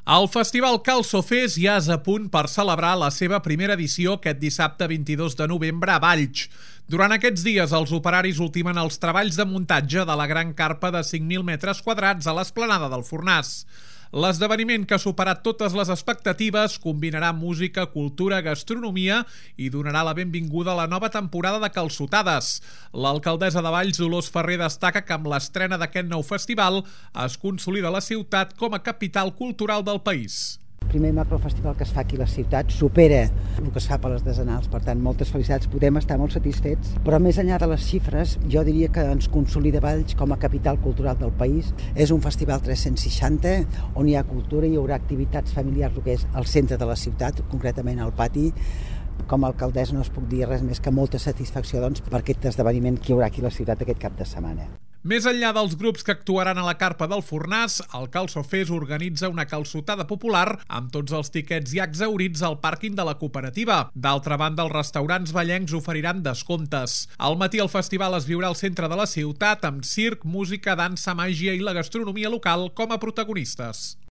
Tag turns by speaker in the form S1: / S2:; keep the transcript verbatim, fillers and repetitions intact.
S1: El Festival Calçofés ja és a punt per celebrar la seva primera edició aquest dissabte vint-i-dos de novembre a Valls. Durant aquests dies, els operaris ultimen els treballs de muntatge de la gran carpa de cinc mil metres quadrats a l'esplanada del Fornàs. L'esdeveniment, que ha superat totes les expectatives, combinarà música, cultura, gastronomia i donarà la benvinguda a la nova temporada de calçotades. L'alcaldessa de Valls, Dolors Ferrer, destaca que amb l'estrena d'aquest nou festival es consolida la ciutat com a capital cultural del país.
S2: El primer macrofestival que es fa aquí a la ciutat supera el que es fa per les decenals, per tant, moltes felicitats, podem estar molt satisfets, però més enllà de les xifres, jo diria que ens consolida Valls com a capital cultural del país. És un festival tres-cents seixanta, on hi ha cultura, hi haurà activitats familiars, el que és el centre de la ciutat, concretament al pati. Com a alcaldessa no es puc dir res més que molta satisfacció doncs, per aquest esdeveniment que hi haurà aquí a la ciutat aquest cap de setmana.
S1: Més enllà dels grups que actuaran a la carpa del Fornàs, el Calçofés organitza una calçotada popular amb tots els tiquets ja exhaurits al pàrquing de la cooperativa. D'altra banda, els restaurants vallencs oferiran descomptes. Al matí el festival es viurà al centre de la ciutat amb circ, música, dansa, màgia i la gastronomia local com a protagonistes.